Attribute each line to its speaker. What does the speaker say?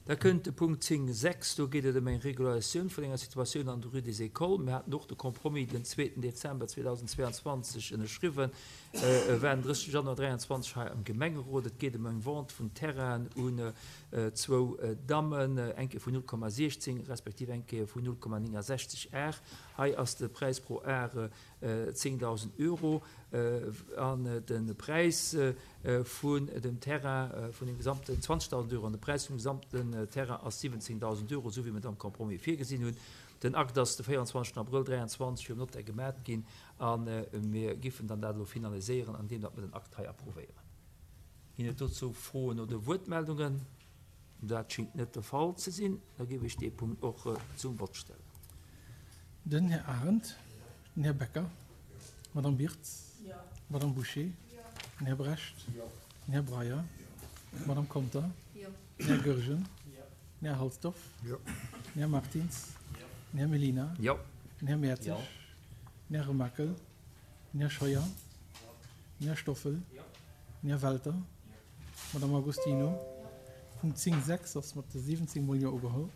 Speaker 1: Da kënnt de Punkt 10, 6, do geet et ëm eng Regularisatioun vun enger Situatioun an der Rue des Écoles. Mir haten och de Compromis den zweeten Dezember 2022 ënnerschriwwen, war den 30 Januar 2023 hei am Gemengerot. Et geet ëm eng Vente vun Terrainen un zwou Dammen, eng Kéier vun 0,16 respektiv eng Kéier vun 0,69 Ar. Hei ass de Präis pro Ar 10.000 Euro an de Präis vun dem Terrain, vun dem gesamten, 20.000 Euro an de Präis vum gesamten Terrain ass 17.000 Euro, esou wéi mir et am Compromis virgesinn hunn. Den Akt ass de 24 Abrëll 23 virum Notaire gemat ginn a mir giffen dann dat elo finaliséieren, andeem datt mir den Akt hei approuvéieren. Ginn et dozou Froen oder Wuertmeldungen? Dat schéngt net de Fall ze sinn. Da géif ech dee Punkt och zum Vott stellen.
Speaker 2: Den Här Arendt, den Här Becker, d'Madame Birtz, d'Madame Bouché, den Här Brecht, den Här Breyer, d'Madame Conter, den Här Goergen, den Här Halsdorf, den Här Martins, den Här Mellina, den Här Mertzig, den Här Remakel, den Här Scheuer, den Här Stoffel, den Här Welter, Madame Agostino, Punkt 10, 6 ass mat 17 mol Jo ugeholl.